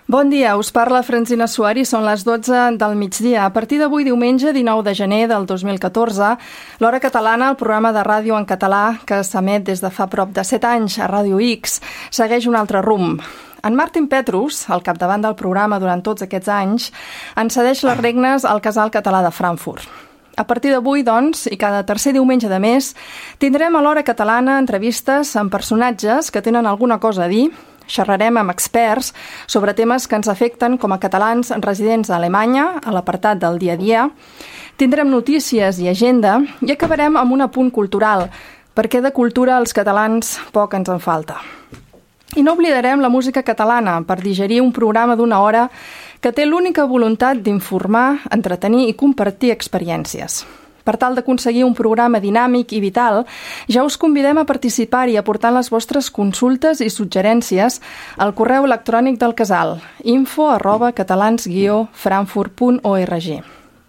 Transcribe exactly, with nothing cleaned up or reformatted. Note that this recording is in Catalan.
Bon dia, us parla Francina Suari, són les dotze del migdia. A partir d'avui, diumenge dinou de gener del dos mil catorze, l'Hora Catalana, el programa de ràdio en català que s'emet des de fa prop de set anys a Ràdio X, segueix un altre rumb. En Martin Petrus, al capdavant del programa durant tots aquests anys, en cedeix les regnes al Casal Català de Frankfurt. A partir d'avui, doncs, i cada tercer diumenge de mes, tindrem a l'Hora Catalana entrevistes amb personatges que tenen alguna cosa a dir. Xerrarem amb experts sobre temes que ens afecten com a catalans residents a Alemanya, a l'apartat del dia a dia. Tindrem notícies i agenda i acabarem amb un apunt cultural, perquè de cultura als catalans poc ens en falta. I no oblidarem la música catalana per digerir un programa d'una hora que té l'única voluntat d'informar, entretenir i compartir experiències. Per tal d'aconseguir un programa dinàmic i vital, ja us convidem a participar-hi aportant les vostres consultes i suggerències al correu electrònic del casal info arroba catalans guió frankfurt punt org.